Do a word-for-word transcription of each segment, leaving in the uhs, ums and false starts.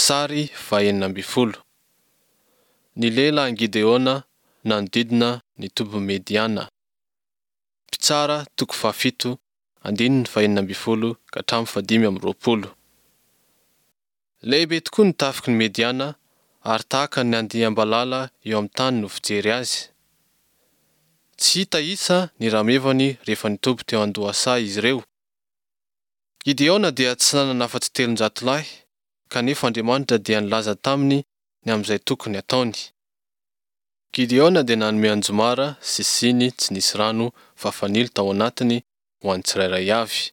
Sary fahenina ambin'ny folo. Ny lehilahin'i Gideona nanodidina ny tobin'i Mediana. Mpitsara toko fahafito andininy fahenina ambin'ny folo ka hatramin'ny fahadimy amby roapolo. Lehibe tokoa ny tafiky ny Mediana ary tahaka ny andiam-balala eo amin'ny tany no fijery azy. Tsy hita isa ny ramevany rehefa nitoby teo an-dohasaha izy ireo. Gideona dia tsy nanana afa-tsy telonjato lahy, kanefa Andriamanitra dia nilaza taminy ny amin'izay tokony hataony. Gideona dia nanome anjomara sy siny tsy nisy rano fa fanilo tao anatiny ho an'ny tsirairay avy.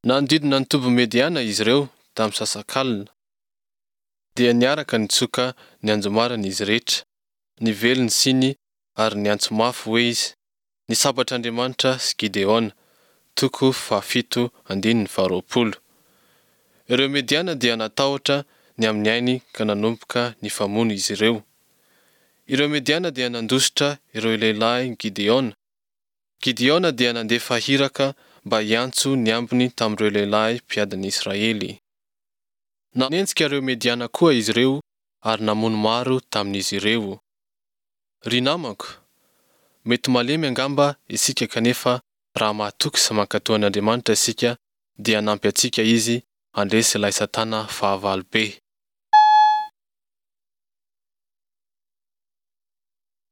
Nanodidina ny tobin'i Mediana izy ireo tamin'ny misasakalina, dia niaraka nitsoka ny anjomarany izy rehetra, nively ny siny ary niantso mafy hoe izy, Ny sabatr'Andriamanitra sy Gideona, toko fahafito andininy faharoapolo. Ireo Mediana dia natahotra ny amin'ny ainy ka nanomboka nifamono izy ireo. Ireo Mediana dia nandositra ireo lehilahin'i Gideona. Gideona dia nandefa iraka mba hiantso ny ambiny tamin'ireo lehilahy mpiadin'ny Israely. Nanenjika ireo Mediana koa izy ireo ary namono maro tamin'izy ireo. Ry namako, mety malemy angamba isika kanefa raha mahatoky sy mankatò an'Andriamanitra isika dia hanampy antsika Izy handresy ilay Satana fahavalo be.